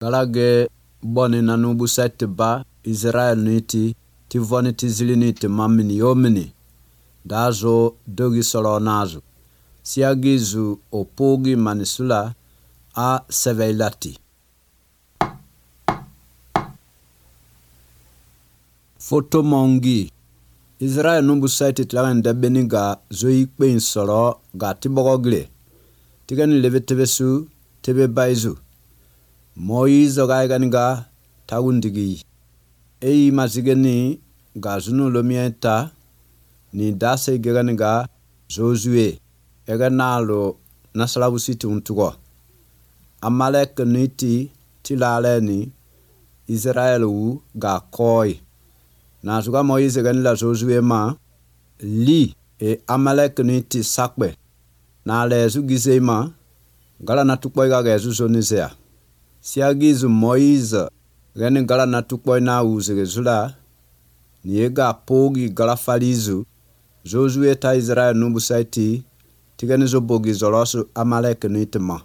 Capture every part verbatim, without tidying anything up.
galage boni na nubu sete ba Israel niti ti voni ti zili niti mamini yomini dazo dogi solo nazo siagizu opogi manisula a seveilati. Foto mongi Israel nubu sete tlagan dabeni ga zoyi kpen solo ga tibogogle tigani leve tebesu tebe baizu Moizo ga igani ga tagundigi eyi mazigeni ga zunu lomienta ni dase igani ga Josué ega nalo nasalabu siti untugo Amalek niti tilale ni Israel wu ga koi na zuga Moise gani la Josué ma li e Amalek niti sakbe na le zugize ma gala na tukpo ga ga zuzonizea siagizu Moise gani gala na tukpo na uzege zula ni ega pogi gala falizu Josué ta Israel nubu saiti tigani zo bogi zolosu Amalek nitma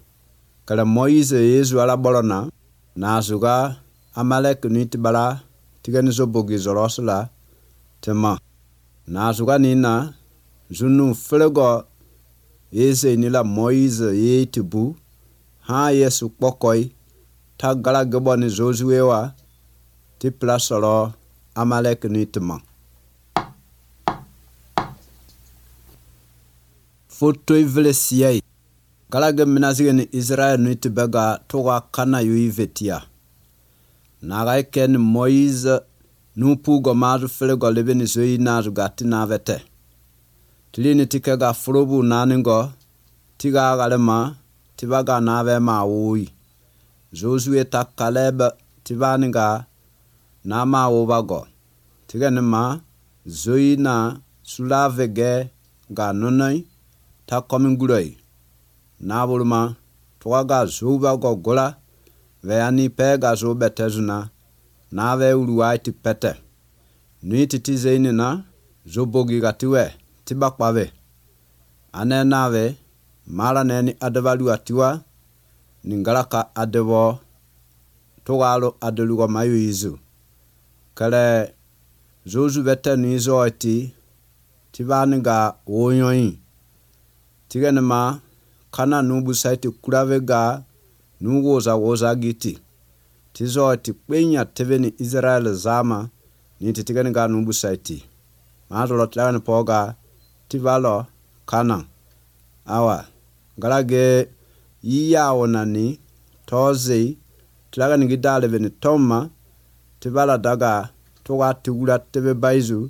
kala Moise yezu ala bolona na zuga Amalek nitbala tigani zo bogi zolosu la tema na zuga nina zunu flego yeze nila Moise yetibu ha yesu pokoi ta gala gaboni Josué wa ti plasolo Amalek nitma. Foto ivele siyai galage minazige ni Israel niti bega toga kana yu vetia naga ken Moise nupu go mazu flego lebe ni zoyi nazu gati na vete tilini tike ga frobu naningo tiga galema tibaga nave ma wui Josué ta Caleb tibaninga na ma wobago tiga nima zoyi na sulavege ga nonai ta kominguroi na bulma toga ga zuba go gola veani pega zo betezuna na ve uruwaiti pete nuiti tizeini na zobogi gatiwe tibakpave ane nave mala neni adevalu atiwa ningalaka adevo togalo adelugo mayu izu kale zozu bete nizo ati tibaniga wonyoyi tiganema kana nubu saiti kuravega nugoza woza giti tizo ati kwenya teveni Israel zama ni tiganiga nubu saiti mazolo tlani poga tivalo kana awa galage iya onani tozi tlaga ni gidale veni toma tivala daga toga tigula tebe baizu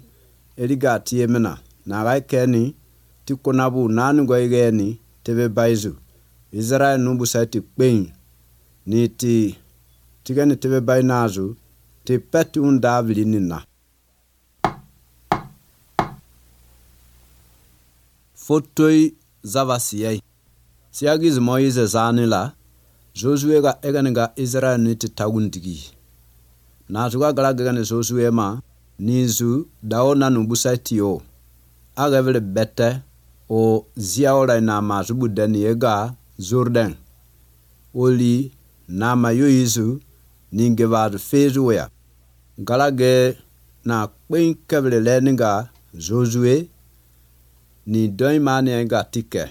eliga tiemena na gaikeni tikonabu nanu goigeni tebe baizu Israel nubu saiti kwen ni ti tigani tebe bainazu ti peti undavili nina. Fotoi zavasiyai siagiz Moise zanila Josué ga eganiga Israel niti tagundigi na zuga galagani Josué ma nizu daona nubu saiti yo agavele bete o ziaola na mazubu deni ega Jordan oli na mayoizu ningevadu fezuya galage na kwen kevele leninga Josué ni doi mani enga tike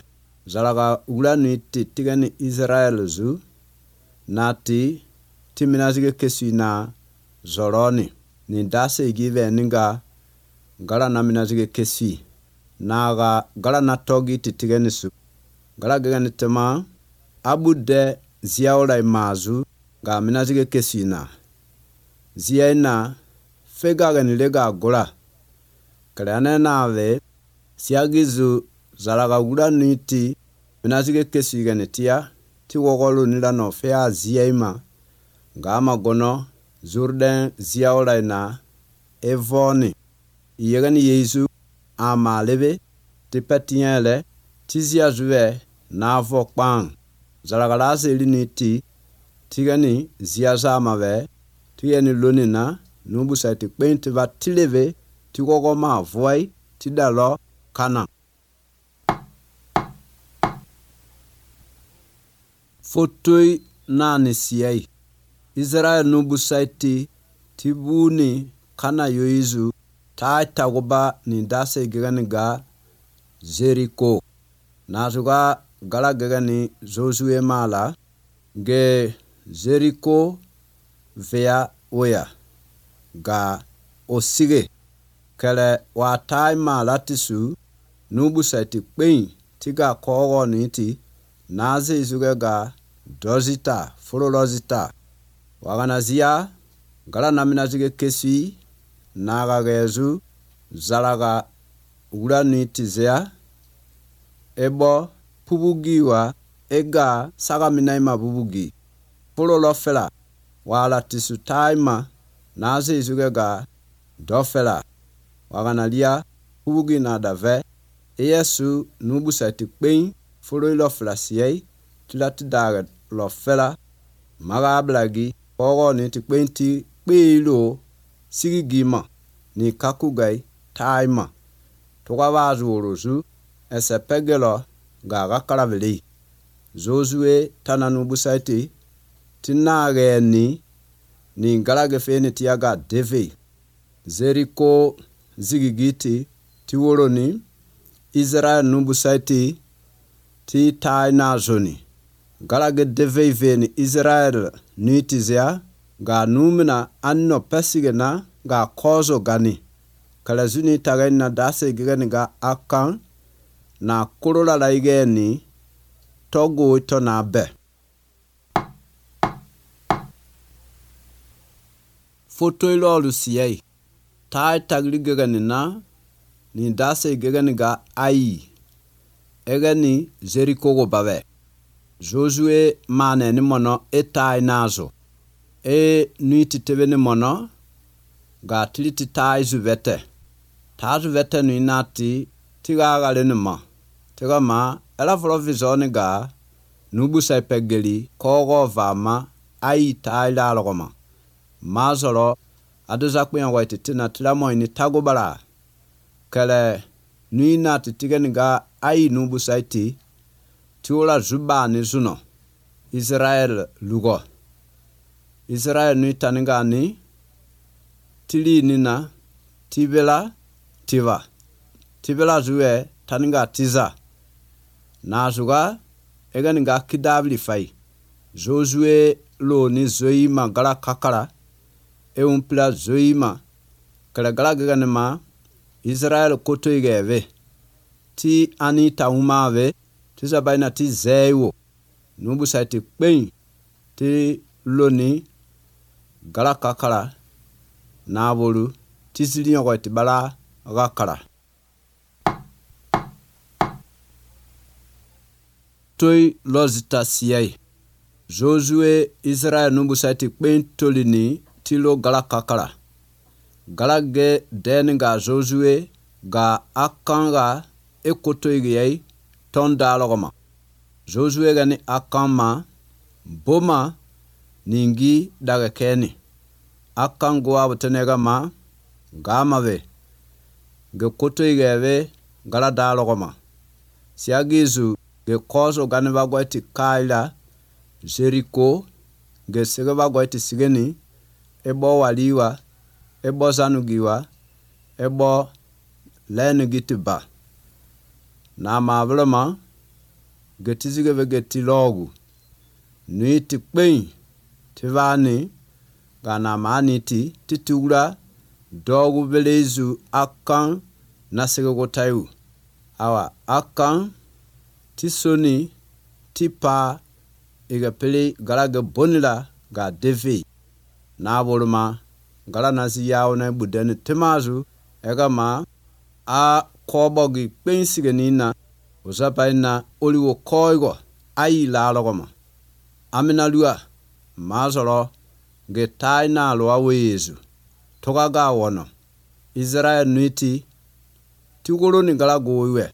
zalaga ula ni titigani Israel zu nati timinazige kesi na zoroni ni dase igive ninga gala na minazige kesi naga gala na togi titigani su gala gani tema abude ziaola imazu ga minazige kesi na ziaina fega gani lega gola kale na ave siagizu zalaga ula niti minazige kesi gani tia ti wogolu nila no fea ziaima gama gono Jordan ziaola na evoni yegani yesu amalebe ti petiele ti ziazuwe na vokpan zalaga la seli niti tigani ziaza mave tiyeni lonina nubu saiti kpenti va tileve ti gogo ma voi ti dalo kana. Fotoi nani siyai Israel nubu saiti tibuni kana yoizu ta tagoba ni dase gani ga Jericho. Nazuga gala gani Josué mala ge Jericho vea oya ga osige kele wa taima latisu nubu saiti kwen tiga kogo niti naze izuga ga dozita fololozita waganazia gala namina zige kesi naga gezu zalaga ula niti zea ebo pubugiwa ega saga minaima bubugi fololofela wala tisu taima naze izuga ga dofela waganalia pubugi na dave Yesu nubu saiti kwen fololofela siyei tilati daga lofela maga ablagi kogo ni ti kwenti kpelo sigigima ni kakugai taima toga wazu orozu ese pegelo ga gakaraveli Josué tananu busaiti tinage ni ni galage feni tiaga deve Jericho zigigiti tiworo ni Israel nubu saiti ti taina zoni galage deve veni Israel nitizea ga numina anno pesigena ga kozo gani kala zuni tagaina dase gani ga akan na kurola laigeni togo ito na be foto ilo lusiyei tai tagli gani na ni dase gani ga ai egani Jericho go babe Josué mane ni mono etai nazo e nuiti tebe ni mono ga tiliti tai zuvete ta zuvete ni nati tiga gale ni ma tiga ma ela volo vizoni ga nubu sai pegeli kogo vama ai tai la logoma mazoro aduza kwen waiti tina tilamo ni tagobala kele nui nati tiga ni ga ai nubu sai ti tiula zuba ni zuno Israel lugo Israel nui taninga ni tili nina tibela tiva tibela zuwe taninga tiza na zuga eganinga kidabli fai Josué lo ni zoima gala kakara e umpla zoima kala gala gaganima Israel koto igeve ti anita umave tiza baina ti zewo nubu saiti kwen ti loni gala kakara na bolu ti zilion ko ti bala gakara toy lozita siyai Josué Israel nubu saiti kwen tolini ti lo gala kakara gala ge deninga Josué ga akanga ekoto igei tonda logoma Josué gani akama boma ningi daga keni akango abutenega ma gamave ge koto igeve gala da logoma siagizu ge kozo gani bagwati kaila Jericho ge sege bagwati sigeni ebo waliwa ebo zanugiwa ebo lenu gitiba na mavrama getizige vegeti logu nuiti kwen tivani gana maniti titula dogu velezu akan nasege gotayu awa akan tisoni tipa iga pele galaga bonila ga devi na boluma gala nasi yawo na budene timazu ega ma a kobogi kwen nina usapaina oliwo koigo ai la logoma amina lua mazoro ge taina lo awezu toga ga wono Israel nuiti tigoro ni gala gowe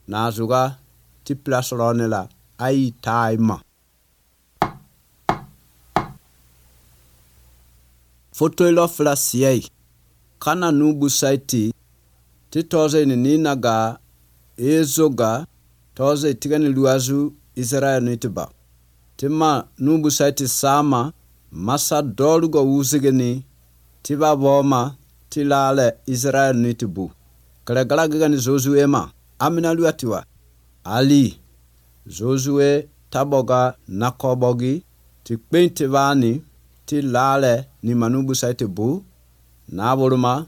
na zuga ti plasronela ai taima foto ilo flasiyei kana nubu saiti ti toze ni nina ga ezoga toze tigani luazu Israel nuitiba tima nubu saiti sama masa dolgo wuzigeni tiba boma tilale Israel nitibu kala galagani Josué ma amina luatiwa ali Josué taboga nakobogi ti pente vani ti lale ni manubu saite bu na boluma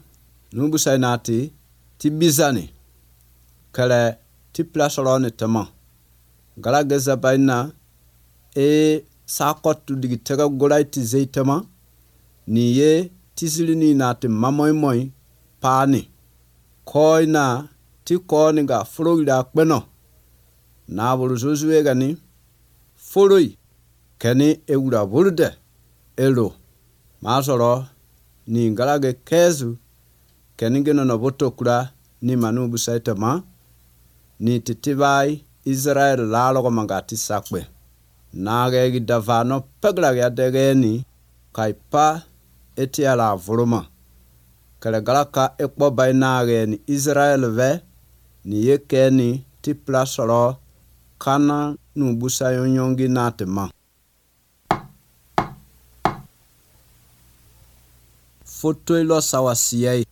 nubu sainati ti bizani kala ti plasolo tama galaga zabaina e sakotu digi tega golai ti zeitama ni ye tisilini nati mamoy moy pani koina ti koni ga florida kweno na bolu Josué gani foloi keni eura burde elo masoro ni ngalage kezu keni geno no botokura ni manubu saitama ni titibai Israel lalo mangati sakwe nage gidavano pegla ya degeni kaipa etiala voluma kale galaka ekpo bainage ni Israel ve ni yekeni ti plasoro kana nubusa yonyongi natema foto ilo sawasiyai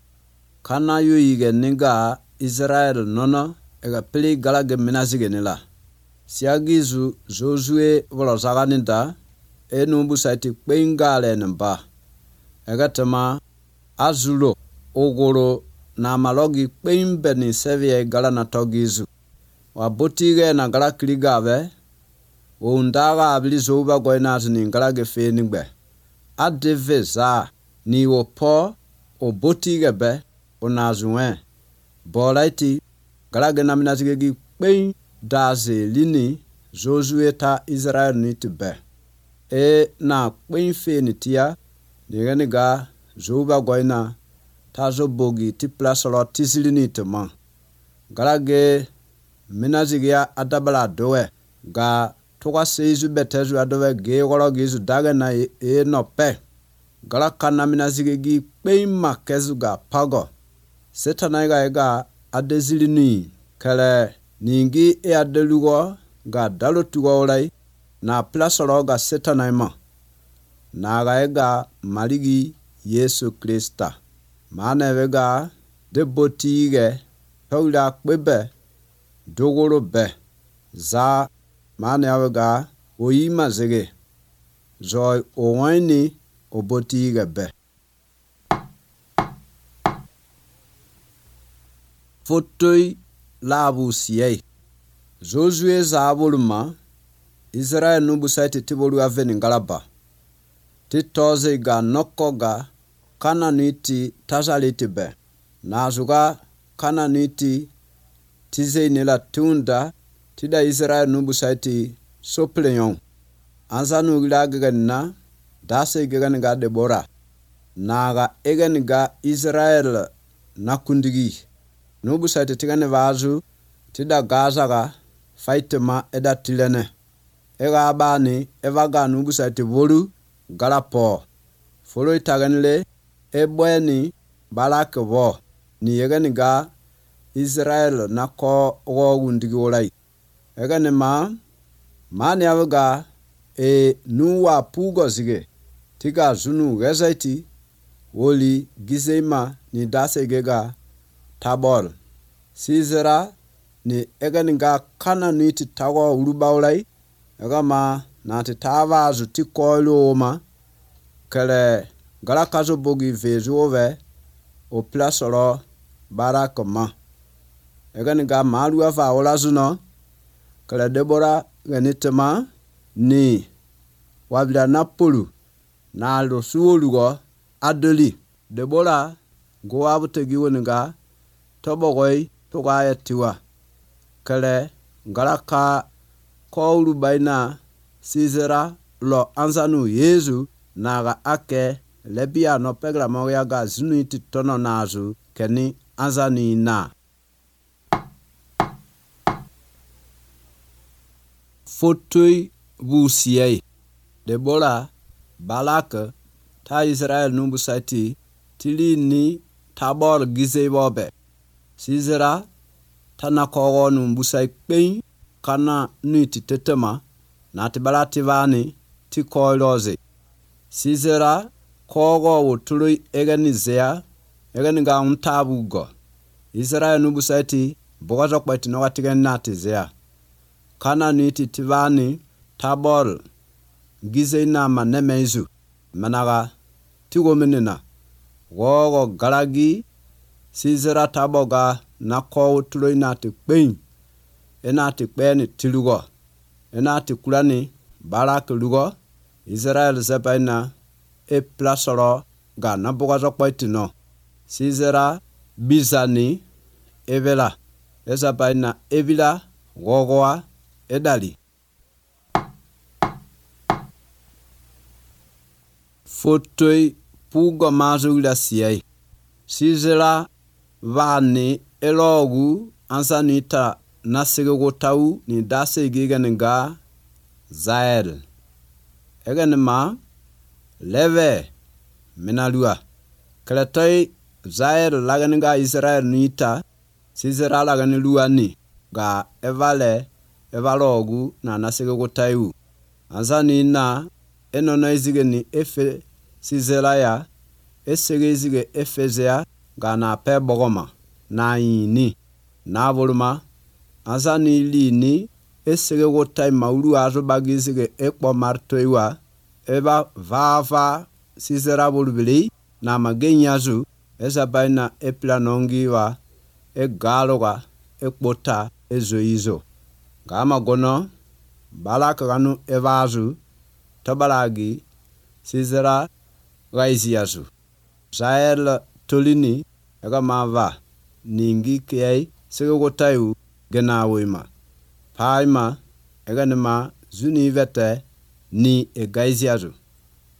kana yu yige niga Israel nono ega pili galage minazige nila siagizu Josué volozaganinda enu busaiti kwingale namba ega tema azulo ogoro na malogi kwimbe ni sevie gala na togizu wabotige na gala kligave undaga abilizo uba goina ni galage fenigbe adeveza ni wopo obotige be onazuwe bolaiti galage na minazige kwen daze lini Josué ta Israel ni tibe e na kwen fenitia niganiga zoba goina ta zo bogi ti plasolo tisilini tema galage minazige adabala dowe ga toka seizu betezu adowe ge golo gizu daga na e, e no pe galaka na minazige gi kwen makezu ga pago setana ga ega adezilini kale ningi e adelugo ga dalotugo olai na plasolo ga setanaima na ga ega maligi Yesu Krista mane vega de botige tawla kwebe dogoro be za mane avega oyima zege joy owani obotige be fotoi labu siyai Josué zaboluma Israel nubu saiti tibolu aveni ngalaba titoze ga nokoga kananiti tazaliti be nazuga kananiti tize nila tunda tida Israel nubu saiti sopleyon anzanu gilagana dase gigani Debora naga egani ga Israel nakundigi nubu saiti tigane vazu tida Gaza ga faitema eda tilene ega abani evaga nubu saiti volu galapo folo itaganile ebweni balake vo ni yegani ga Israel nako wo wundigi olai egani ma mani avuga e nuwa pugo zige tiga zunu gezaiti woli gizeima ni dase gega tabor sizera ni egani ga kana niti tago uruba olai ega ma na ti tava zu ti koilo ma kele galakazo bogi vezu ove o plasoro barakoma egani ga malu ava olazuno kele Debora ganitema ni wabila napolu na lo suolugo adoli Debora go abutegi woniga tobogoi togaya tiwa kele galaka koulu baina sizera lo anzanu Yesu naga ake lebia no pegra moya ga zunuiti tono nazu keni anzani na fotoi busiyai Debora balaka ta Israel numbu saiti tilini tabor gizebobe sizera tanakogo numbu sai kpen kana niti tetema na tibalati vani ti koiloze Sisera kogo wotului eganizea eganiga untabugo. Israel nubusaiti bogazo kwa itinoga tigen natizea. Kana niti tivani tabor gize ina manemezu managa tigo menina. Wogo galagi Sisera taboga na kowo tuloi nati kpein. Enati kpeini tilugo. Enati kulani barak lugo. Israel zepaina e plasoro ga na bogazo kwa itino. Sisera bizani evela. Ezapaina evila gogoa edali. Fotoi pugo mazugla siyai. Sisera vani elogu ansanita nasege tau ni dase giganenga Zael. Eganema leve minalua. Kalatai Zael laganenga Israel nita Sisera laganelua ni ga evale evalogu na nasege tau. Ansanina enona izigeni efe Sisera ya esege izige efezea gana pe bogoma na yini na voluma azani lini esege wotai maulu azo bagizige ekpo martoiwa eba vava Sisera volubili na magenyazu esa baina eplanongiwa e galoga ekpota ezoizo gama gono balaka ganu evazu tabalagi Sisera gaiziazu Zael tolini ega mava ningi kiyai sege wotayu gena wima paima ega nema zuni vete ni egaiziazu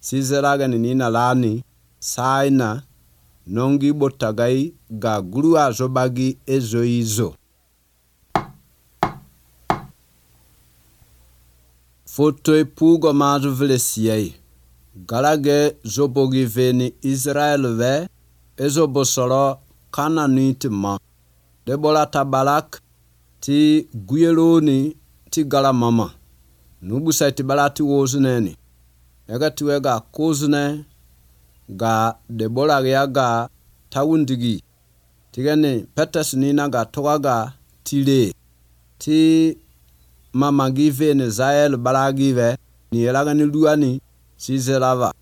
Sisera gani nina lani saina nongi botagai ga gurua zobagi ezoizo. Fotoi pugo mazu velesiai galage zobogi veni Israel ve ezo bosoro kana nitima. Debola tabalak ti guyeloni ti gala mama. Nubu saiti balati wozuneni. Ega tiwega kozune ga debola ya ga tawundigi. Tigani petas nina ga togaga tile. Ti mama give ni Zael balagive ni elagani luani Sisera va.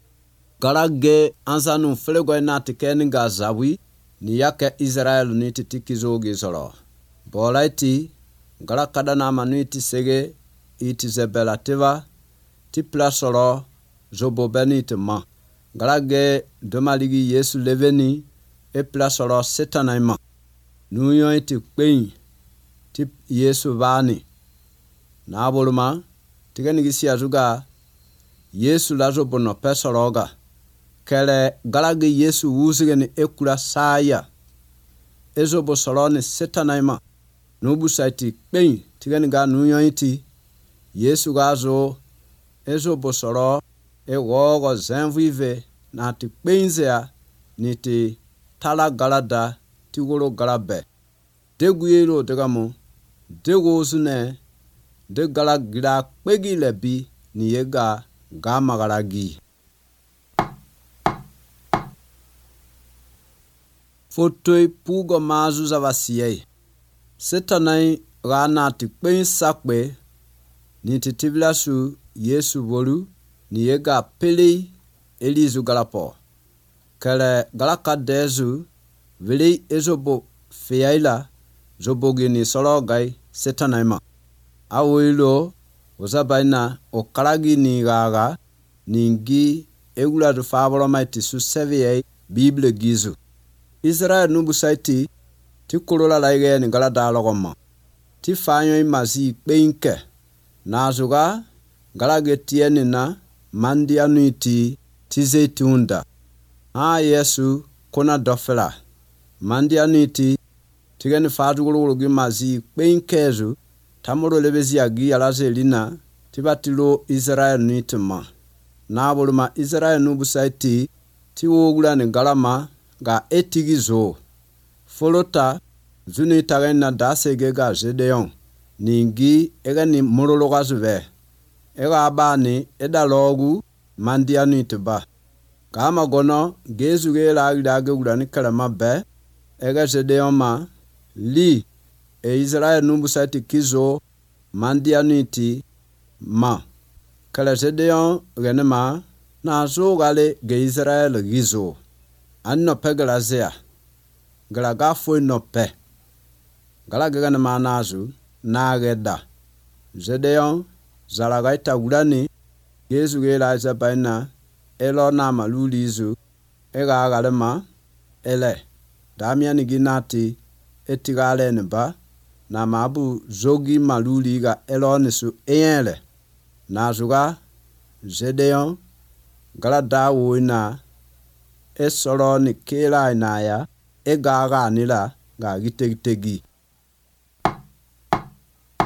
Galage ansanu flego na tikeni ga zawi ni yake Israel ni titikizo gizoro. Bolaiti galakada na manuiti sege iti zebelativa ti plasoro zobobeni tema. Galage domaligi Yesu leveni e plasoro setanaima. Nuyo iti kwein ti Yesu vani. Na aboluma tigeni gisi azuga Yesu lazo bono pesoroga. Kele galage Yesu wuzigeni ekula saya. Ezo bosoroni setanaima. Nubu saiti kpein tigeni ga nuyo iti. Yesu gazo ezo bosoro e wogo zenvive na ti kpeinzea ni ti tala galada ti wolo galabe. Deguyelo degamu dego zune de galagira kpegi lebi ni yega gama galagi. Fotoi pugo mazu za vasiyei. Setanai rana ti kpein sakwe ni ti tivilasu Yesu volu ni yega peli elizu galapo. Kele galaka dezu vili ezobo feyaila zobogi ni sologai setanaima. Awilo ozabaina okalagi ni gaga ningi egula do favolo maiti su seviye Bible gizu. Israel nubu saiti ti kolola laige ni gala dalogoma. Ti fanyo imazi kpeinke. Nazuga galage tieni na mandi anuiti ti zeitunda. Ha Yesu kona dofela. Mandi anuiti tigeni fatu gulugulugi mazi kpeinkezu tamuro lebezi agi alaze lina tibatilo Israel nuitema. Na boluma Israel nubu saiti ti wogula ni galama ga etigizo. Folota zuni tagaina dasege ga Gedeon. Ningi ega ni morologa zuve. Ega abani eda logu mandianu itiba kama gono gezu ge la ida ge urani kalama be ega Gedeon ma li e Israel numbu sati kizo mandianu iti ma kala Gedeon gane ma na zo gale ge Israel gizo anno pegala zea gala ga foi no pe gala ge gane ma nazu na geda Gedeon zalaga ita urani gezu ge la za baina elo na malulizu ega agalema ele damiani ginati etigale ne ba na mabu zogi maluli ga elo nisu eyele na zuga Gedeon gala dawo ina esoro ni kela ina ya ega aga nila ga gitegitegi